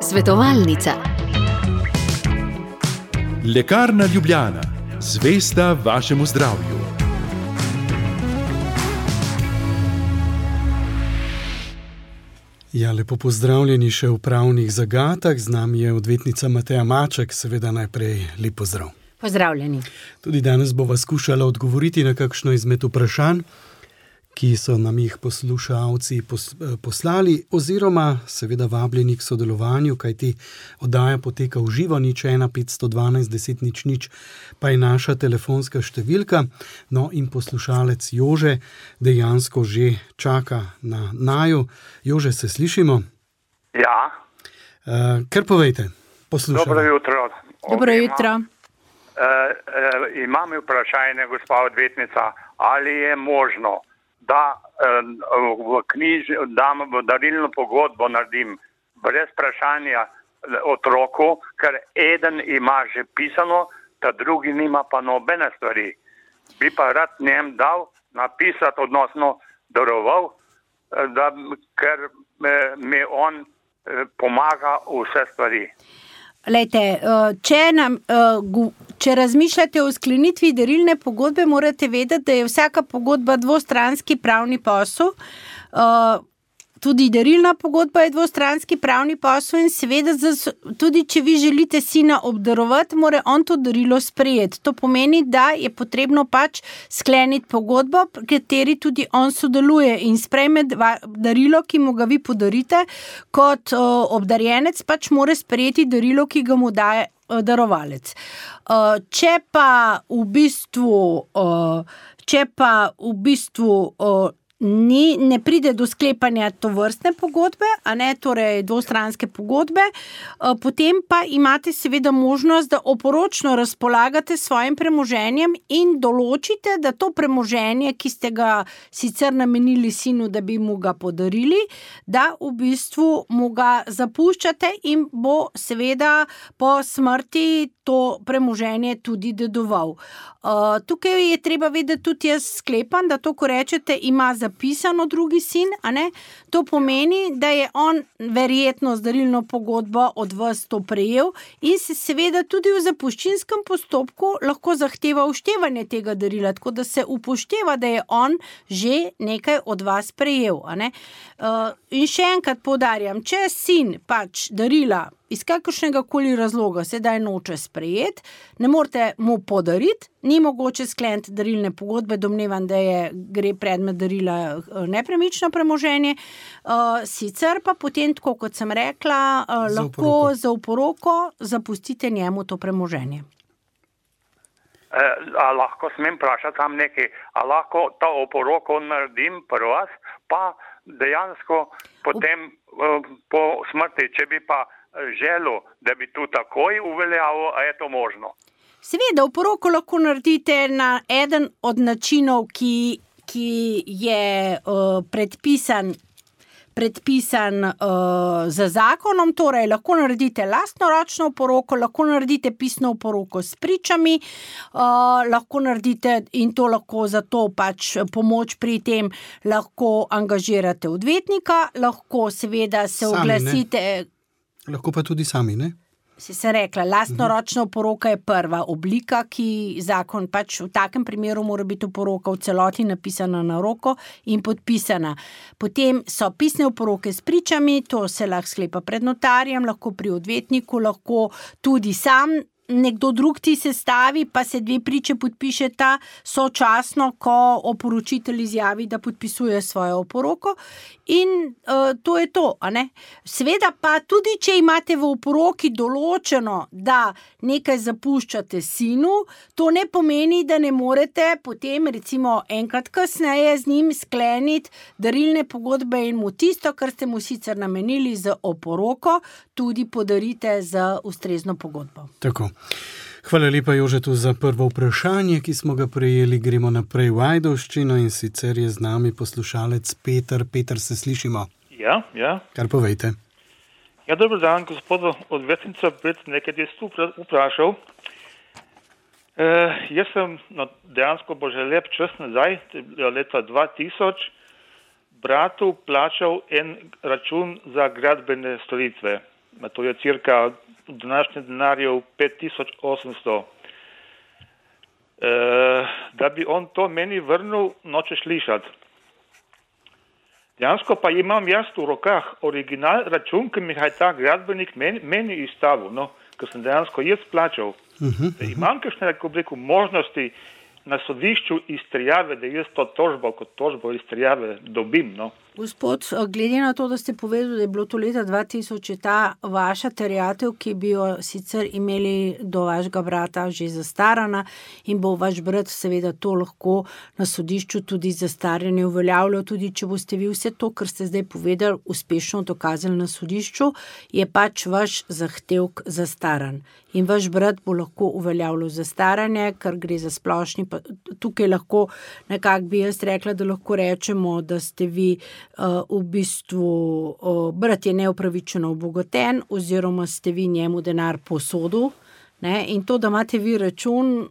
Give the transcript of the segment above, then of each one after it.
Svetovalnica. Lekarna Ljubljana. Zvesta vašemu zdravju. Ja, lepo pozdravljeni še v pravnih zagatah. Z nami je odvetnica Mateja Maček. Seveda najprej lep pozdrav. Pozdravljeni. Tudi danes bova skušala odgovoriti na kakšno izmed vprašanj, ki so nam jih poslušalci poslali, oziroma seveda vabljeni k sodelovanju, kajti oddaja poteka v živo, 01 512 10 00, pa je naša telefonska številka. No in poslušalec Jože dejansko že čaka na naju. Jože, se slišimo? Ja. Kar povejte, poslušajte. Dobro jutro. Dobro jutro. Imam vprašanje, gospa odvetnica, ali je možno, da v darilno pogodbo naredim brez vprašanja otroku, ker eden ima že pisano, ta drugi nima pa nobene stvari. Bi pa rad njem dal napisati, odnosno daroval, ker mi on pomaga vse stvari. Lejte, če razmišljate o sklenitvi darilne pogodbe, morate vedeti, da je vsaka pogodba dvostranski pravni posel. Tudi darilna pogodba je dvostranski pravni posel in seveda tudi, če vi želite sina obdarovati, mora on to darilo sprejeti. To pomeni, da je potrebno pač skleniti pogodbo, pri kateri tudi on sodeluje in sprejme darilo, ki mu ga vi podarite. Kot obdarjenec pač mora sprejeti darilo, ki ga mu daje darovalec. Če pa v bistvu ne pride do sklepanja tovrstne pogodbe, torej dvostranske pogodbe, potem pa imate seveda možnost, da oporočno razpolagate s svojim premoženjem in določite, da to premoženje, ki ste ga sicer namenili sinu, da bi mu ga podarili, da v bistvu mu ga zapuščate in bo seveda po smrti to premoženje tudi dedoval. Tukaj je treba vedeti, tudi jaz sklepam, da to, ko rečete, ima zapisano drugi sin, to pomeni, da je on verjetno z darilno pogodbo od vas to prejel in se seveda tudi v zapuščinskem postopku lahko zahteva upoštevanje tega darila, tako da se upošteva, da je on že nekaj od vas prejel. In še enkrat poudarjam, če sin pač darila iz kakršnega koli razloga sedaj noče sprejeti, ne morete mu podariti, ni mogoče skleniti darilne pogodbe, domnevam, da gre predmet darila nepremično premoženje, sicer pa potem, tako kot sem rekla, lahko za oporoko zapustite njemu to premoženje. A lahko smem vprašati tam nekaj, a lahko to oporoko naredim pri vas, pa dejansko potem po smrti, če bi pa želel, da bi tu takoj uveljavil, a je to možno? Seveda, oporoko lahko naredite na eden od načinov, ki je predpisan z zakonom, torej lahko naredite lastnoročno oporoko, lahko naredite pisno oporoko s pričami, lahko naredite in to lahko za to pač pomoč pri tem lahko angažirate odvetnika, lahko seveda se oglasite. Lahko pa tudi sami, ne? Sem rekla, lastnoročna oporoka je prva oblika, ki zakon pač v takem primeru mora biti oporoka v celoti napisana na roko in podpisana. Potem so pisne oporoke s pričami, to se lahko sklepa pred notarjem, lahko pri odvetniku, lahko tudi sam nekdo drug ti sestavi, pa se dve priče podpišeta sočasno, ko oporočitelj izjavi, da podpisuje svojo oporoko in to je to, Seveda pa tudi, če imate v oporoki določeno, da nekaj zapuščate sinu, to ne pomeni, da ne morete potem recimo enkrat kasneje z njim skleniti darilne pogodbe in mu tisto, kar ste mu sicer namenili z oporoko, tudi podarite z ustrezno pogodbo. Tako. Hvala lepa, Jožetu, za prvo vprašanje, ki smo ga prejeli. Gremo naprej v Ajdovščino in sicer je z nami poslušalec Peter. Peter, se slišimo? Ja. Kar povejte. Ja, dober dan, gospod odvetnica, nekaj je tu vprašal. Jaz sem dejansko bo že lep čas nazaj, leta 2000, bratu plačal en račun za gradbene storitve. To je cirka v današnjem denarju 5800. Da bi on to meni vrnil, noče slišati. Dejansko pa imam jaz v rokah original račun, ki mi ga je ta gradbenik meni izstavil, ker sem dejansko jaz plačal. Imam kakšne, možnosti na sodišču izterjave, da jaz to tožbo kot tožbo izterjave dobim, Gospod, glede na to, da ste povedali, da je bilo to leta 2000, je ta vaša terjatev, ki bi jo sicer imeli do vašega brata že zastarana in bo vaš brat seveda to lahko na sodišču tudi zastaranje uveljavljal, tudi če boste vi vse to, kar ste zdaj povedali, uspešno dokazali na sodišču, je pač vaš zahtevek zastaran. In vaš brat bo lahko uveljavljal zastaranje, ker gre za splošni, pa tukaj lahko nekako bi jaz rekla, da lahko rečemo, da ste vi v bistvu brat je neupravičeno obogaten oziroma ste vi njemu denar posodil, in to, da imate vi račun,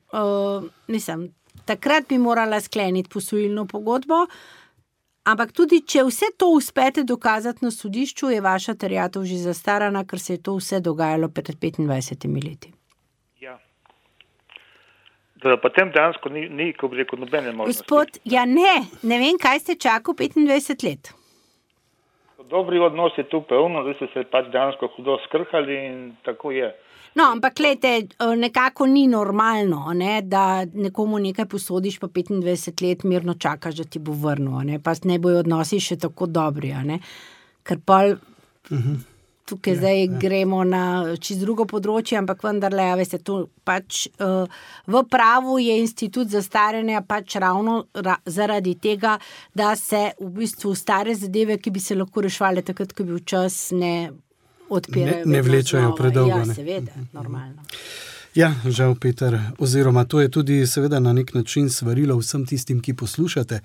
takrat bi morala skleniti posojilno pogodbo, ampak tudi, če vse to uspete dokazati na sodišču, je vaša terjatev že zastarana, ker se je to vse dogajalo pred 25 leti. Ja. Da potem dejansko ni ko bi rekel, nobene možnosti. Gospod, ne vem, kaj ste čakal 25 let. Dobri odnosi tu pevno, da ste se pač dejansko hudo skrhali in tako je. Ampak glejte, nekako ni normalno, da nekomu nekaj posodiš, pa 25 let mirno čakaš, da ti bo vrnil, pa ne bojo odnosi še tako dobri, ker pa tukaj zdaj gremo na čist drugo področje, ampak vendarle, veste, to pač v pravu je institut zastaranja pač ravno zaradi tega, da se v bistvu stare zadeve, ki bi se lahko rešvali takrat, ko bi v čas ne odpirajo. Ne vlečajo predolgo. Ja, seveda, normalno. Ja, žal, Peter, oziroma to je tudi seveda na nek način svarilo vsem tistim, ki poslušate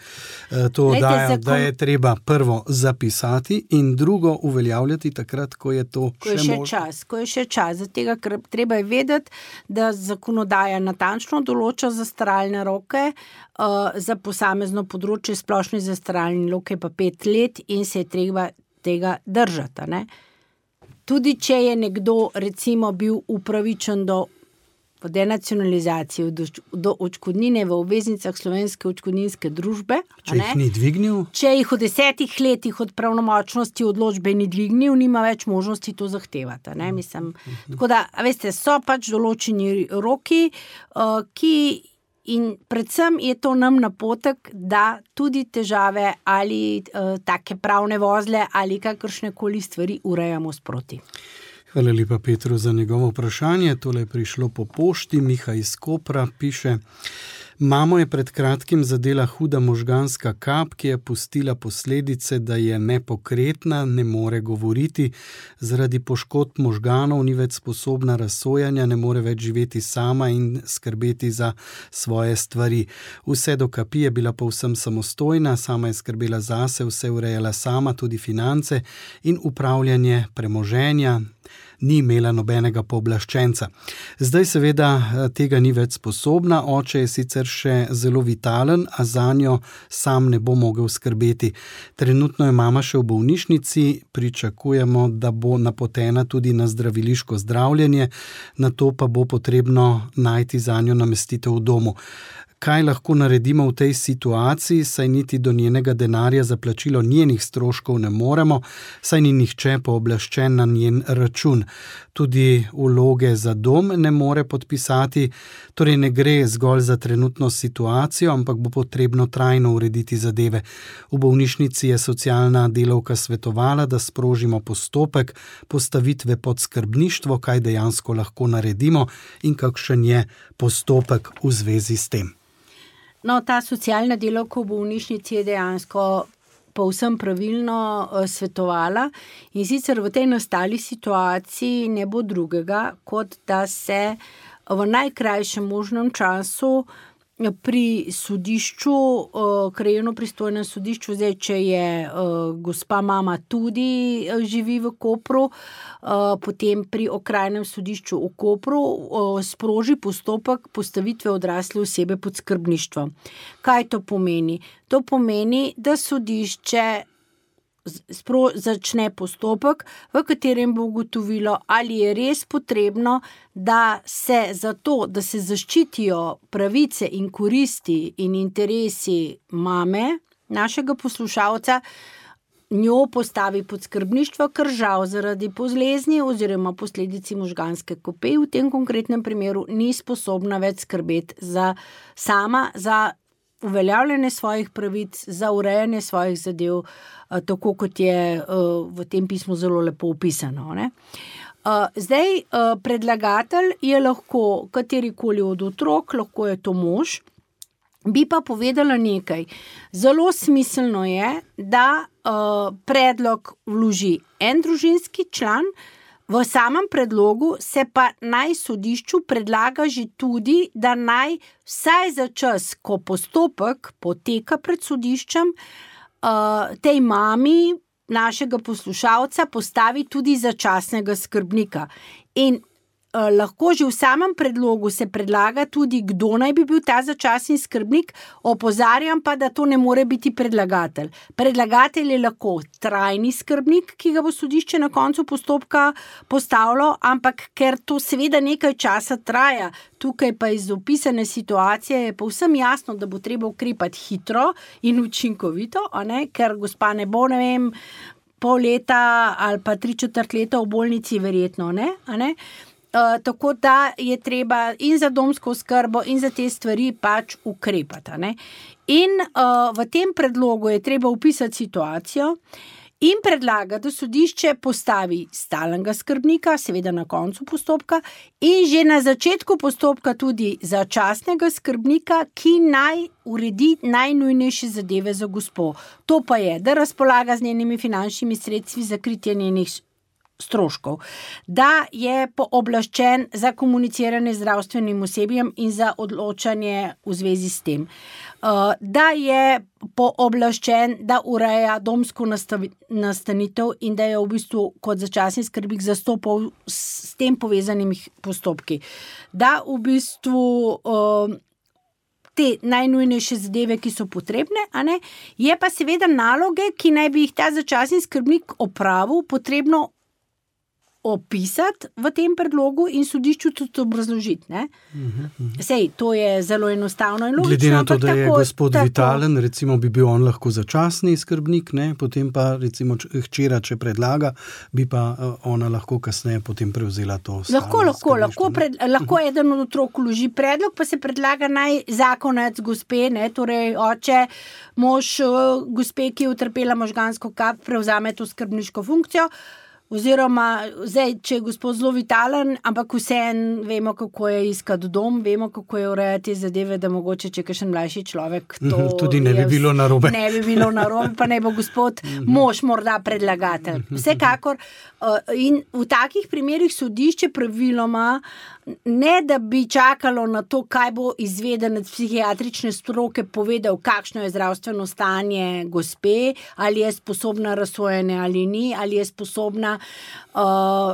to oddajo, da je treba prvo zapisati in drugo uveljavljati takrat, ko je to še možno. Ko je še čas, zato ker treba je vedeti, da zakonodaja natančno določa zastaralne roke, za posamezno področje splošne zastaralne roke pa 5 let in se je treba tega držati. Tudi če je nekdo recimo bil upravičen do denacionalizacije, do odškodnine v obveznicah Slovenske odškodninske družbe. Če jih ni dvignil? Če jih v 10 letih od pravnomočnosti odločbe ni dvignil, nima več možnosti to zahtevati. Tako da, veste, so pač določeni roki, ki in predvsem je to nam napotek, da tudi težave ali take pravne vozle ali kakršnekoli stvari urejamo sproti. Hvala lepa Petru za njegovo vprašanje. Tole je prišlo po pošti. Miha iz Kopra piše: Mamo je pred kratkim zadela huda možganska kap, ki je pustila posledice, da je nepokretna, ne more govoriti, zaradi poškodb možganov ni več sposobna razsojanja, ne more več živeti sama in skrbeti za svoje stvari. Vse do kapi je bila povsem samostojna, sama je skrbela zase, vse urejala sama, tudi finance in upravljanje premoženja. Ni imela nobenega pooblaščenca. Zdaj seveda tega ni več sposobna, oče je sicer še zelo vitalen, a zanjo sam ne bo mogel skrbeti. Trenutno je mama še v bolnišnici, pričakujemo, da bo napotena tudi na zdraviliško zdravljenje, nato pa bo potrebno najti zanjo namestitev v domu. Kaj lahko naredimo v tej situaciji, saj niti do njenega denarja za plačilo njenih stroškov ne moremo, saj ni nihče pooblaščen na njen račun. Tudi vloge za dom ne more podpisati, torej ne gre zgolj za trenutno situacijo, ampak bo potrebno trajno urediti zadeve. V bolnišnici je socialna delavka svetovala, da sprožimo postopek postavitve pod skrbništvo, kaj dejansko lahko naredimo in kakšen je postopek v zvezi s tem. Ta socialna delavka v bolnišnici je dejansko povsem pravilno svetovala in sicer v tej nastali situaciji ne bo drugega, kot da se v najkrajšem možnem času pri sodišču, krajevno pristojnem sodišču, zdaj, če je gospa mama tudi živi v Kopru, potem pri okrajnem sodišču v Kopru sproži postopek postavitve odrasle osebe pod skrbništvom. Kaj to pomeni? To pomeni, da sodišče začne postopek, v katerem bo ugotovilo, ali je res potrebno, da se zato, da se zaščitijo pravice in koristi in interesi mame, našega poslušalca, njo postavi pod skrbništvo, ker žal zaradi bolezni oziroma posledici možganske kope v tem konkretnem primeru ni sposobna več skrbeti za uveljavljanje svojih pravic, za urejanje svojih zadev, tako kot je v tem pismu zelo lepo opisano, ne. Zdaj, predlagatelj je lahko katerikoli od otrok, lahko je to mož. Bi pa povedala nekaj. Zelo smiselno je, da predlog vloži en družinski član, v samem predlogu se pa naj sodišču predlaga že tudi, da naj vsaj za čas, ko postopek poteka pred sodiščem, tej mami našega poslušalca postavi tudi začasnega skrbnika. In lahko že v samem predlogu se predlaga tudi, kdo naj bi bil ta začasni skrbnik, opozarjam pa, da to ne more biti predlagatelj. Predlagatelj je lahko trajni skrbnik, ki ga bo sodišče na koncu postopka postavilo, ampak ker to seveda nekaj časa traja, tukaj pa iz opisane situacije je povsem jasno, da bo treba ukrepati hitro in učinkovito, ker gospa ne bo, ne vem, pol leta ali pa 3/4 leta v bolnici verjetno, ne? Tako da je treba in za domsko oskrbo in za te stvari pač ukrepati, ne? In v tem predlogu je treba opisati situacijo in predlaga, da sodišče postavi stalnega skrbnika, seveda na koncu postopka, in že na začetku postopka tudi začasnega skrbnika, ki naj uredi najnujnejše zadeve za gospo. To pa je, da razpolaga z njenimi finančnimi sredstvi za kritje njenih stroškov, da je pooblaščen za komuniciranje z zdravstvenim osebjem in za odločanje v zvezi s tem, da je pooblaščen, da ureja domsko nastanitev in da je v bistvu kot začasni skrbnik zastopal s tem povezanimi postopki, da v bistvu te najnujnejše zadeve, ki so potrebne, je pa seveda naloge, ki naj bi jih ta začasni skrbnik opravil, potrebno opisati v tem predlogu in sodišču tudi obrazložiti, ne? Sej, to je zelo enostavno in logično. Glede na to, da je gospod vitalen, recimo bi bil on lahko začasni skrbnik, ne? Potem pa recimo hčera, če predlaga, bi pa ona lahko kasneje potem prevzela to lahko eden od otrok vloži predlog, pa se predlaga naj zakonec gospe, ne? Torej oče, mož gospe, ki je utrpela možgansko kap, prevzame to skrbniško funkcijo. Oziroma, zdaj, če je gospod zelo vitalen, ampak vseeno vemo, kako je iskati dom, vemo, kako je urejati zadeve, da mogoče, če kakšen mlajši človek, to tudi ne bi bilo narobe. Ne bi bilo narobe, pa ne bo gospod mož morda predlagatelj. Vsekakor, in v takih primerih sodišče praviloma, ne da bi čakalo na to, kaj bo izvedenec psihiatrične stroke povedal, kakšno je zdravstveno stanje gospe, ali je sposobna razsojanja ali ni, ali je sposobna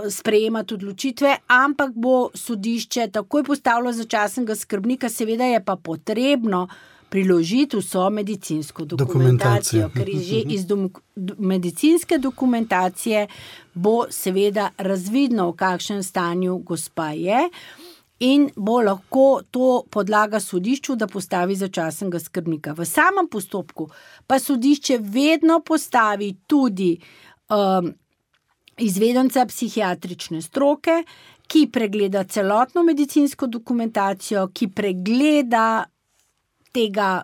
sprejemati odločitve, ampak bo sodišče takoj postavilo začasnega skrbnika, seveda je pa potrebno priložiti vso medicinsko dokumentacijo, ker že iz medicinske dokumentacije bo seveda razvidno, v kakšnem stanju gospa je, in bo lahko to podlaga sodišču, da postavi začasnega skrbnika. V samem postopku pa sodišče vedno postavi tudi izvedenca psihiatrične stroke, ki pregleda celotno medicinsko dokumentacijo, ki pregleda tega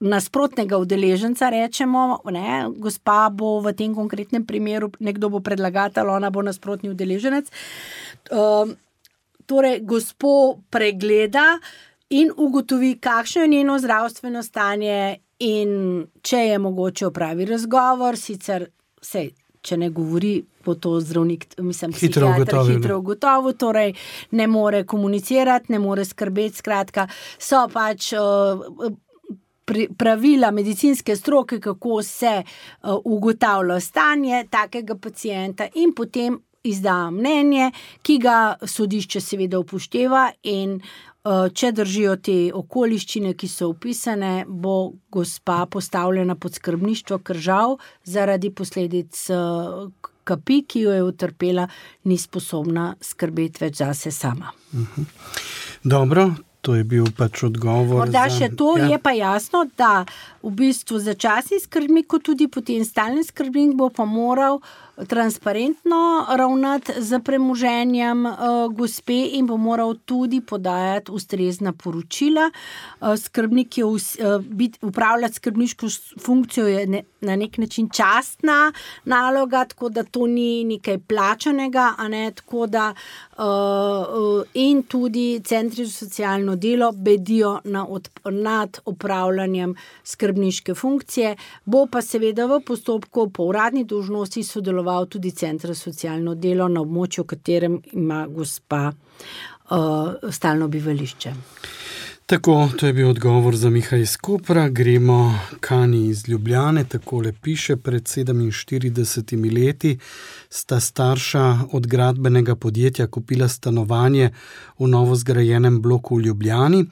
nasprotnega udeleženca, rečemo, ne, gospa bo v tem konkretnem primeru, nekdo bo predlagatelj, ona bo nasprotni udeleženec. Torej, gospo pregleda in ugotovi, kakšno je njeno zdravstveno stanje in če je mogoče opravi razgovor, sicer če ne govori, bo to zdravnik, psihiater hitro ugotovil, torej ne more komunicirati, ne more skrbeti, skratka, so pač pravila medicinske stroke, kako se ugotavlja stanje takega pacienta in potem izda mnenje, ki ga sodišče seveda upošteva in če držijo te okoliščine, ki so opisane, bo gospa postavljena pod skrbništvo, ker žal zaradi posledic kapi, ki jo je utrpela, ni sposobna skrbeti več zase sama. Dobro, to je bil pač odgovor. Morda še to, je pa jasno, da v bistvu začasni skrbnik, kot tudi potem stalni skrbnik bo pa moral transparentno ravnati z premoženjem gospe in bo moral tudi podajati ustrezna poročila. Skrbnik je upravljati skrbniško funkcijo je na nek način častna naloga, tako da to ni nekaj plačanega, a ne, tako da in tudi centri za socialno delo bedijo nad opravljanjem skrbniške funkcije, bo pa seveda v postopku po uradni dolžnosti sodeloval tudi Center za socialno delo na območju, v katerem ima gospa stalno bivališče. Tako, to je bil odgovor za Miha iz Kopra. Gremo Kani iz Ljubljane, takole piše: pred 47 leti sta starša od gradbenega podjetja kupila stanovanje v novo zgrajenem bloku v Ljubljani.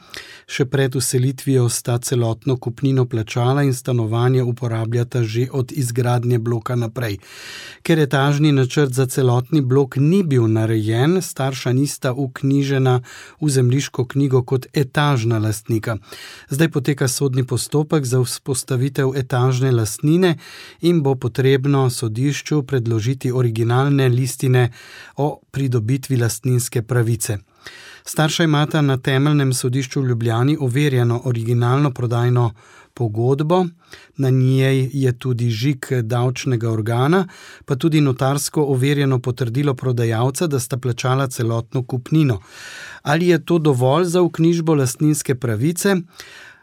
Še pred vselitvijo sta celotno kupnino plačala in stanovanje uporabljata že od izgradnje bloka naprej. Ker etažni načrt za celotni blok ni bil narejen, starša nista vknjižena v zemljiško knjigo kot etažna lastnika. Zdaj poteka sodni postopek za vzpostavitev etažne lastnine in bo potrebno sodišču predložiti originalne listine o pridobitvi lastninske pravice. Starša imata na temeljnem sodišču v Ljubljani overjeno originalno prodajno pogodbo, na njej je tudi žig davčnega organa, pa tudi notarsko overjeno potrdilo prodajalca, da sta plačala celotno kupnino. Ali je to dovolj za vknjižbo lastninske pravice?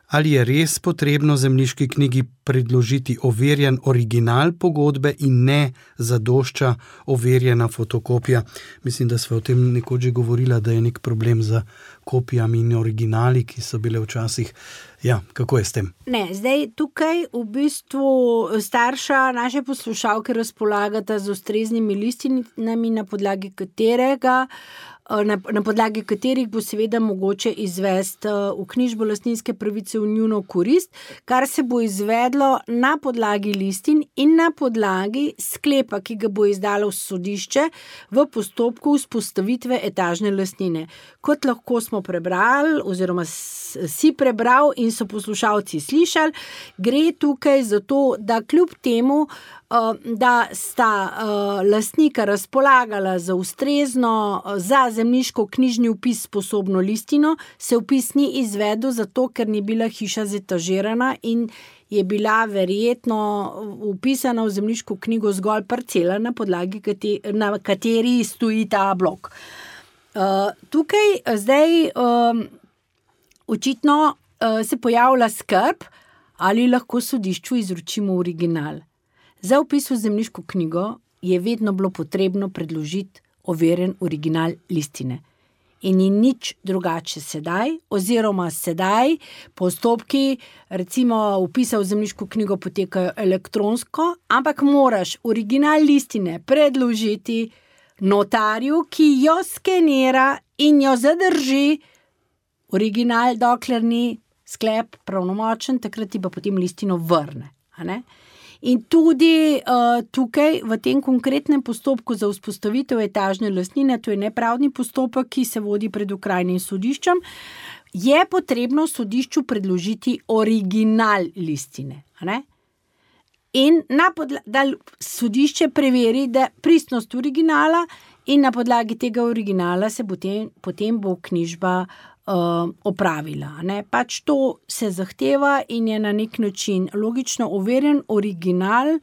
Ali je res potrebno zemljiški knjigi predložiti overjen original pogodbe in ne zadošča overjena fotokopija? Mislim, da sva o tem nekoč že govorila, da je nek problem z kopijami in originali, ki so bile včasih. Ja, kako je s tem? Ne, zdaj tukaj v bistvu starša naše poslušalke razpolagata z ustreznimi listinami, na podlagi katerih bo seveda mogoče izvesti vknjižbo lastninske pravice v njuno korist, kar se bo izvedlo na podlagi listin in na podlagi sklepa, ki ga bo izdalo sodišče v postopku vzpostavitve etažne lastnine. Kot lahko smo prebrali, oziroma si prebral in so poslušalci slišali, gre tukaj za to, da kljub temu, da sta lastnika razpolagala za ustrezno za zemljiško-knjižni vpis sposobno listino, se vpis ni izvedel zato, ker ni bila hiša zetažirana in je bila verjetno vpisana v zemljiško knjigo zgolj parcela, na podlagi na kateri stoji ta blok. Tukaj zdaj očitno se pojavlja skrb, ali lahko sodišču izročimo original. Za vpis v zemljiško knjigo je vedno bilo potrebno predložiti overjen original listine. In ni nič drugače sedaj, oziroma sedaj postopki, recimo vpisa v zemljiško knjigo potekajo elektronsko, ampak moraš original listine predložiti notarju, ki jo skenira in jo zadrži. Original, dokler ni sklep pravnomočen, takrat ti pa potem listino vrne. A ne? In tudi tukaj v tem konkretnem postopku za vzpostavitev etažne lastnine, to je nepravdni postopek, ki se vodi pred okrajnim sodiščem, je potrebno sodišču predložiti original listine. A ne? In da sodišče preveri, da pristnost originala in na podlagi tega originala se potem bo knjižba opravila. Ne? Pač to se zahteva in je na nek način logično overjen original,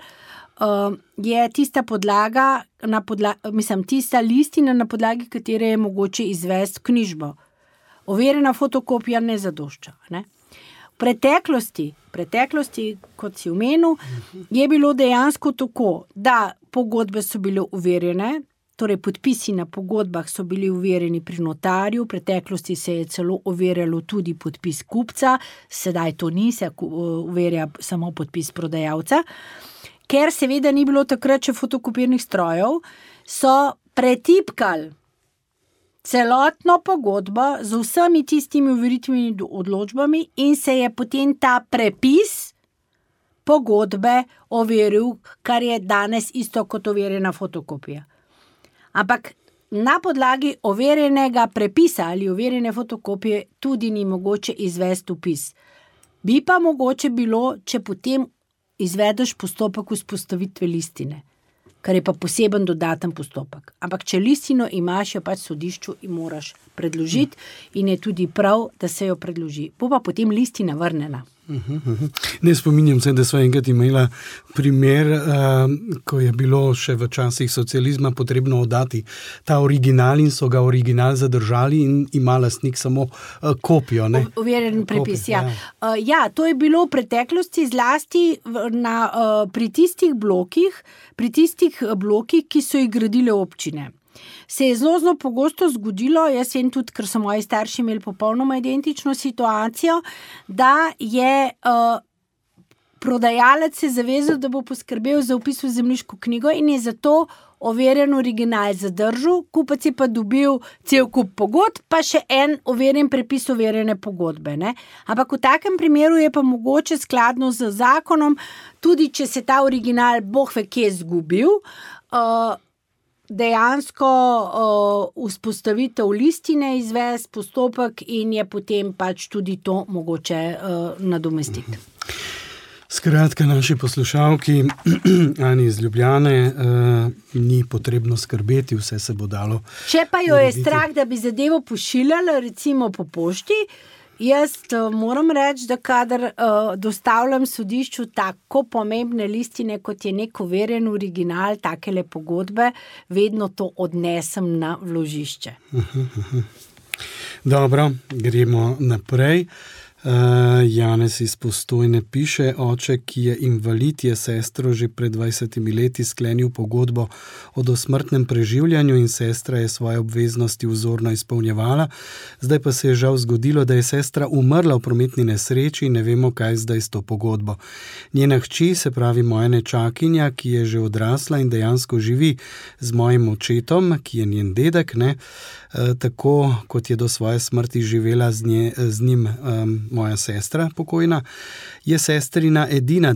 je tista podlaga, tista listina, na podlagi katere je mogoče izvesti knjižbo. Overjena fotokopija ne zadošča. Ne? V preteklosti, kot si omenil, je bilo dejansko tako, da pogodbe so bile overjene, torej podpisi na pogodbah so bili overjeni pri notarju, v preteklosti se je celo overjalo tudi podpis kupca, sedaj to ni, se overja samo podpis prodajalca. Ker seveda ni bilo takrat še fotokopirnih strojev, so pretipkali celotno pogodbo z vsemi tistimi overitvenimi odločbami in se je potem ta prepis pogodbe overil, kar je danes isto kot overjena fotokopija. Ampak na podlagi overjenega prepisa ali overjene fotokopije tudi ni mogoče izvesti vpis. Bi pa mogoče bilo, če potem izvedeš postopek vzpostavitve listine, kar je pa poseben dodaten postopek. Ampak če listino imaš, jo pač sodišču in moraš predložiti in je tudi prav, da se jo predloži. Bo pa potem listina vrnjena. Ne spominjam se, da sva enkrat imela primer, ko je bilo še v časih socializma potrebno oddati ta original in so ga original zadržali in ima lastnik samo kopijo. Overjen prepis, ja. Ja, to je bilo v preteklosti zlasti pri tistih blokih, ki so jih gradile občine. Se je zelo pogosto zgodilo, jaz vem tudi, ker so moji starši imeli popolnoma identično situacijo, da je prodajalec se zavezal, da bo poskrbel za vpis v zemljiško knjigo in je zato overjen original zadržal, kupec je pa dobil cel kup pogodb, pa še en overjen prepis overjene pogodbe. Ne? Ampak v takem primeru je pa mogoče skladno z zakonom, tudi če se ta original boh ve kje zgubil, dejansko vzpostavitev listine izvesti postopek in je potem pač tudi to mogoče nadomestiti. Skratka, naši poslušalki Ani iz Ljubljane ni potrebno skrbeti, vse se bo dalo. Če pa jo je strah, da bi zadevo pošiljala recimo po pošti, jaz moram reči, da kadar dostavljam sodišču tako pomembne listine, kot je nek overjen original, takele pogodbe, vedno to odnesem na vložišče. Dobro, gremo naprej. Janez iz Postojne piše, oče, ki je invalid, je sestro že pred 20 leti sklenil pogodbo o dosmrtnem preživljanju in sestra je svoje obveznosti vzorno izpolnjevala. Zdaj pa se je žal zgodilo, da je sestra umrla v prometni nesreči in ne vemo, kaj zdaj s to pogodbo. Njena hči, se pravi moja nečakinja, ki je že odrasla in dejansko živi z mojim očetom, ki je njen dedek, tako kot je do svoje smrti živela z njim moja sestra pokojna, je sestrina edina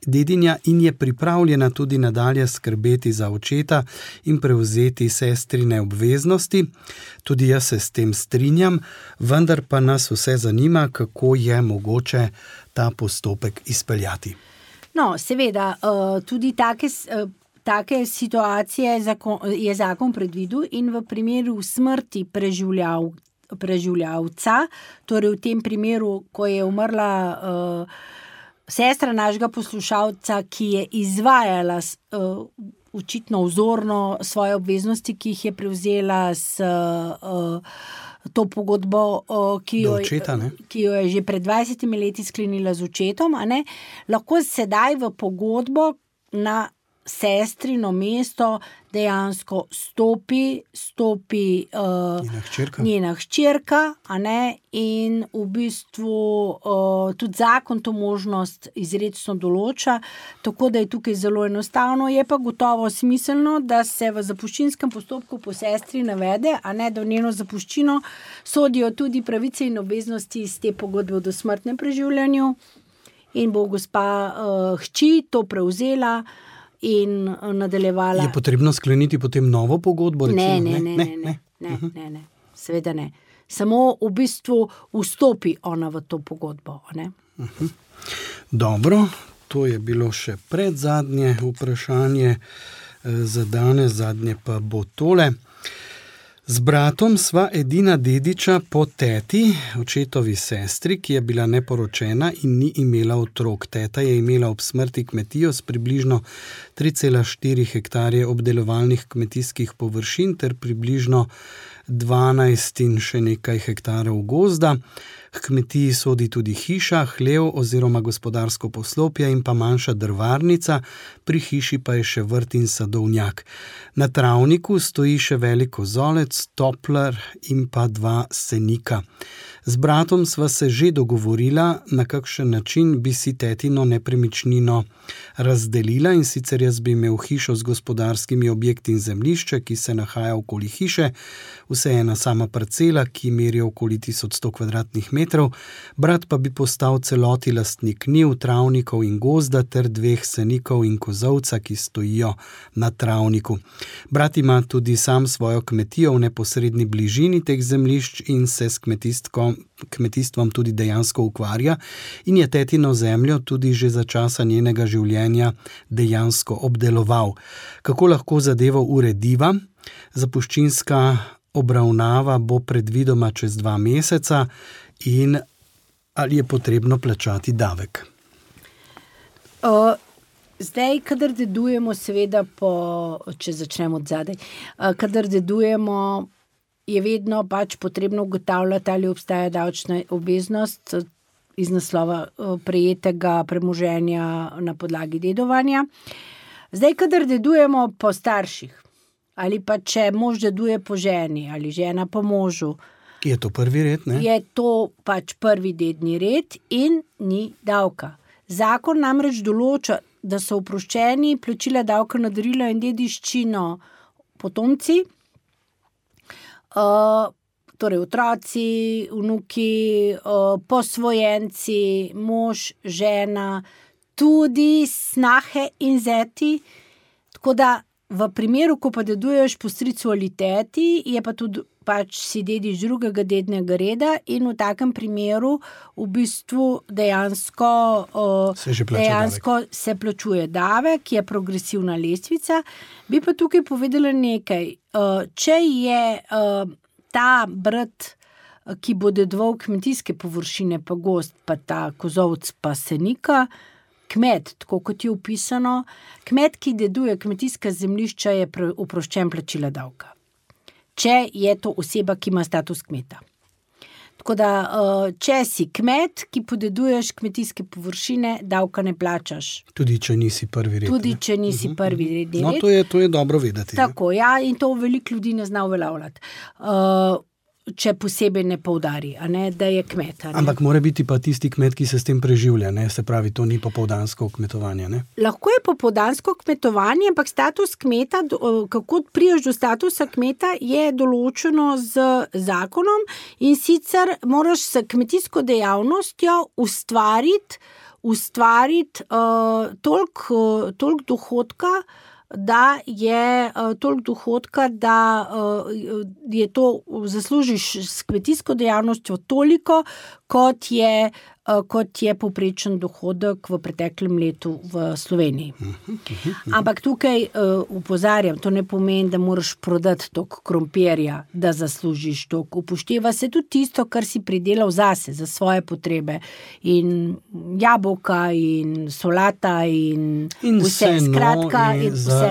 dedinja in je pripravljena tudi nadalje skrbeti za očeta in prevzeti sestrine obveznosti. Tudi jaz se s tem strinjam, vendar pa nas vse zanima, kako je mogoče ta postopek izpeljati. No, seveda, tudi take situacije je zakon predvidel in v primeru smrti preživljavca, torej v tem primeru, ko je umrla sestra našega poslušalca, ki je izvajala očitno vzorno svoje obveznosti, ki jih je prevzela s to pogodbo, ki jo je že pred 20 leti sklenila z očetom, lahko sedaj v pogodbo na sestrino mesto dejansko stopi njena hčerka, in v bistvu tudi zakon to možnost izrecno določa, tako da je tukaj zelo enostavno. Je pa gotovo smiselno, da se v zapuščinskem postopku po sestri navede, da v njeno zapuščino sodijo tudi pravice in obveznosti iz te pogodbe o dosmrtnem preživljanju in bo gospa hči to prevzela in nadaljevala. Je potrebno skleniti potem novo pogodbo? Ne, seveda ne. Samo v bistvu vstopi ona v to pogodbo. Dobro, to je bilo še predzadnje vprašanje za danes, zadnje pa bo tole. Z bratom sva edina dediča po teti, očetovi sestri, ki je bila neporočena in ni imela otrok. Teta je imela ob smrti kmetijo s približno 3,4 hektarje obdelovalnih kmetijskih površin ter približno 12 in še nekaj hektarov gozda. K kmetiji sodi tudi hiša, hlev oziroma gospodarsko poslopje in pa manjša drvarnica, pri hiši pa je še vrt in sadovnjak. Na travniku stoji še velik kozolec, toplar in pa 2 senika. Z bratom sva se že dogovorila, na kakšen način bi si tetino nepremičnino razdelila, in sicer jaz bi imel hišo z gospodarskimi objekti in zemljišče, ki se nahaja okoli hiše, vse ena sama parcela, ki meri okoli 1100 kvadratnih metrov, brat pa bi postal celoti lastnik njiv, travnikov in gozda ter 2 senikov in kozovca, ki stojijo na travniku. Brat ima tudi sam svojo kmetijo v neposredni bližini teh zemljišč in se s kmetijstvom tudi dejansko ukvarja in je tetino zemljo tudi že za časa njenega življenja dejansko obdeloval. Kako lahko zadevo urediva? Zapuščinska obravnava bo predvidoma čez 2 meseca in ali je potrebno plačati davek? Zdaj, kadar dedujemo, seveda, če začnemo od zadaj, kadar dedujemo, je vedno pač potrebno ugotavljati, ali obstaja davčna obveznost iz naslova prejetega premoženja na podlagi dedovanja. Zdaj, kadar dedujemo po starših, ali pa če mož deduje po ženi, ali žena po možu, je to prvi red, ne? Je to pač prvi dedni red in ni davka. Zakon namreč določa, da so oproščeni plačila davka na darilo in dediščino potomci, torej otroci, vnuki, posvojenci, mož, žena, tudi snahe in zeti. Tako da v primeru, ko pa deduješ po stricu ali teti, je pa tudi pač si dediš drugega dednega reda in v takem primeru v bistvu dejansko se plačuje davek, ki je progresivna lestvica. Bi pa tukaj povedala nekaj. Če je ta brat, ki bo dedoval kmetijske površine, pa gozd, pa ta kozovc, pa senika, kmet, tako kot je opisano, kmet, ki deduje kmetijska zemljišča, je oproščen plačila davka. Če je to oseba, ki ima status kmeta. Tako da, če si kmet, ki podeduješ kmetijske površine, davka ne plačaš. Tudi če nisi prvi red. Tudi če nisi prvi red. No, to je dobro vedeti. Tako, ja, in to veliko ljudi ne zna uveljavljati. Če posebej ne poudari, a ne, da je kmet. Ampak mora biti pa tisti kmet, ki se s tem preživlja, ne? Se pravi, to ni popoldansko kmetovanje, ne? Lahko je popoldansko kmetovanje, ampak status kmeta, kako prideš do statusa kmeta, je določeno z zakonom in sicer moraš s kmetijsko dejavnostjo ustvariti toliko dohodka, da je to zaslužiš s kmetijsko dejavnostjo toliko, kot je povprečen dohodek v preteklem letu v Sloveniji. Ampak tukaj opozarjam, to ne pomeni, da moraš prodati toliko krompirja, da zaslužiš toliko. Upošteva se tudi tisto, kar si pridelal zase, za svoje potrebe. In jabolka, in solata, in vse. Skratka,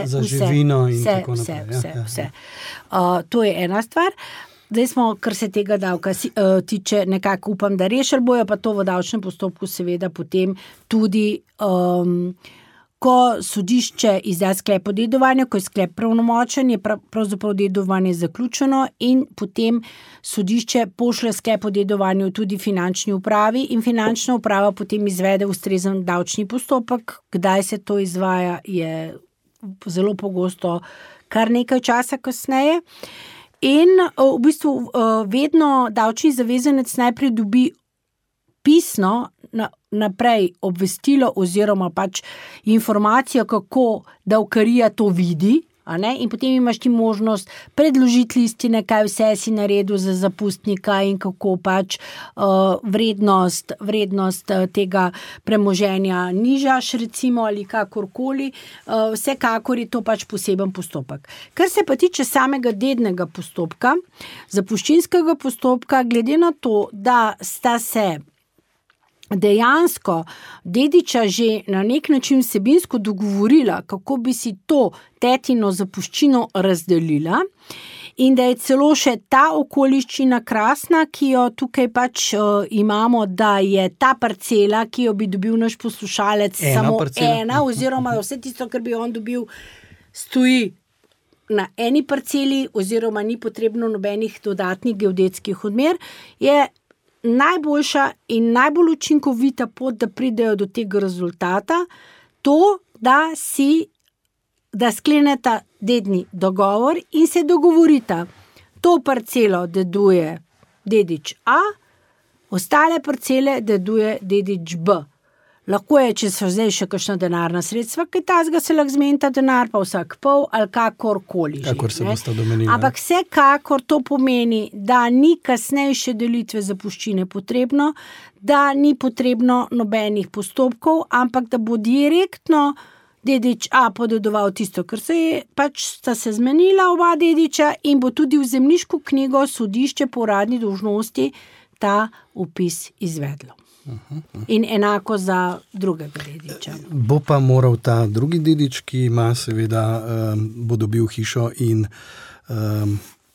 za živino in tako naprej. Vse. To je ena stvar. Zdaj smo, kar se tega davka tiče, nekako upam, da rešili bojo, pa to v davčnem postopku seveda potem tudi, ko sodišče izda sklep o dedovanju, ko je sklep pravnomočen, je pravzaprav dedovanje zaključeno in potem sodišče pošlje sklep o dedovanju tudi finančni upravi in finančna uprava potem izvede ustrezen davčni postopek. Kdaj se to izvaja, je zelo pogosto kar nekaj časa kasneje. In v bistvu vedno davčni zavezanec najprej dobi pisno naprej obvestilo oziroma pač informacijo, kako davkarija to vidi, a ne? In potem imaš ti možnost predložiti listine, kaj vse si naredil za zapustnika in kako pač vrednost tega premoženja nižaš, recimo, ali kakorkoli. Vsekakor je to pač poseben postopek. Kar se pa tiče samega dednega postopka, zapuščinskega postopka, glede na to, da sta se dejansko dediča že na nek način vsebinsko dogovorila, kako bi si to tetino zapuščino razdelila in da je celo še ta okoliščina krasna, ki jo tukaj pač imamo, da je ta parcela, ki jo bi dobil naš poslušalec, ena oziroma vse tisto, kar bi on dobil, stoji na eni parceli oziroma ni potrebno nobenih dodatnih geodetskih odmer, je najboljša in najbolj učinkovita pot, da pridejo do tega rezultata, to, da skleneta dedni dogovor in se dogovorita. To parcelo deduje dedič A, ostale parcele deduje dedič B. Lahko je, če so zdaj še kakšna denarna sredstva, kaj tazga se lahko zmenita denar, pa vsak pol ali kakorkoli. Kakor se bosta domenila. Ampak vsekakor to pomeni, da ni kasnejše delitve zapuščine potrebno, da ni potrebno nobenih postopkov, ampak da bo direktno dedič A podedoval tisto, kar se je, pač sta se zmenila oba dediča in bo tudi v zemljiško knjigo sodišče po uradni dolžnosti ta vpis izvedlo. In enako za drugega dediča. Bo pa moral ta drugi dedič, ki ima seveda, bo dobil hišo in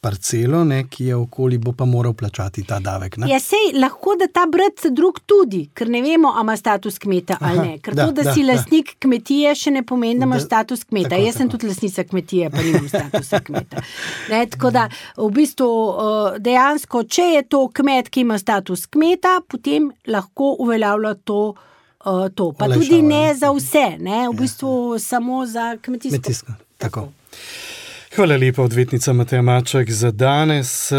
parcelo, ne, ki je okoli, bo pa moral plačati ta davek. Ne? Ja, sej lahko, da ta brat drug tudi, ker ne vemo, a ima status kmeta ali ne. Ker si lastnik kmetije, še ne pomeni, da imaš status kmeta. Jaz sem tudi lastnica kmetije, pa nimam statusa kmeta. Ne, tako da, v bistvu, dejansko, če je to kmet, ki ima status kmeta, potem lahko uveljavlja to. Pa tudi ne za vse, ne, v bistvu samo za kmetijsko. Tako. Hvala lepa, odvetnica Mateja Maček. Za danes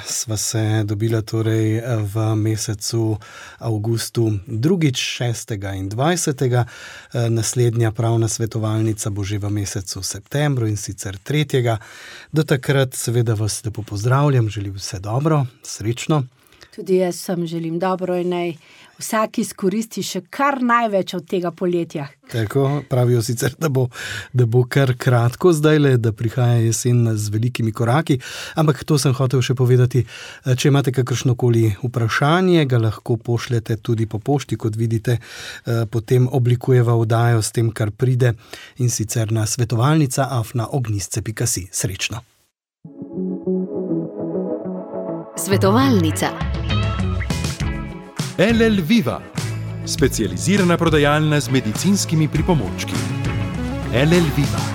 sva se dobila torej v mesecu avgustu 2., 6. in 20. Naslednja pravna svetovalnica bo že v mesecu septembru in sicer 3. Do takrat seveda vas lepo pozdravljam, želim vse dobro, srečno. Tudi jaz sem želim dobro in naj vsak izkoristi še kar največ od tega poletja. Tako, pravijo sicer, da bo kar kratko zdajle, da prihaja jesen z velikimi koraki, ampak to sem hotel še povedati. Če imate kakršnokoli vprašanje, ga lahko pošljete tudi po pošti, kot vidite, potem oblikujeva oddajo s tem, kar pride, in sicer na svetovalnica@ognistce.si. Srečno. Svetovalnica. LL Viva, specializirana prodajalna z medicinskimi pripomočki. LL Viva.